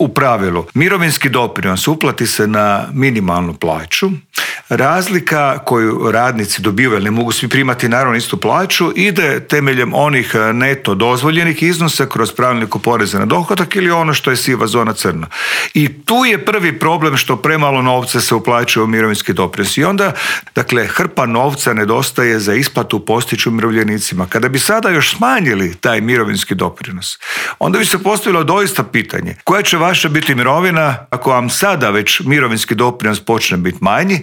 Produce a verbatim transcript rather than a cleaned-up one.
U pravilu, mirovinski doprinos uplati se na minimalnu plaću. Razlika koju radnici dobivaju, ne mogu svi primati naravno istu plaću, ide temeljem onih neto dozvoljenih iznosa kroz pravilnik o porezu na dohodak ili ono što je siva zona crna. I tu je prvi problem što premalo novca se uplaćuje u mirovinski doprinos. I onda, dakle, hrpa novca nedostaje za isplatu postiću umirovljenicima. Kada bi sada još smanjili taj mirovinski doprinos, onda bi se postavilo doista pitanje koja će vaša biti mirovina ako vam sada već mirovinski doprinos počne biti manji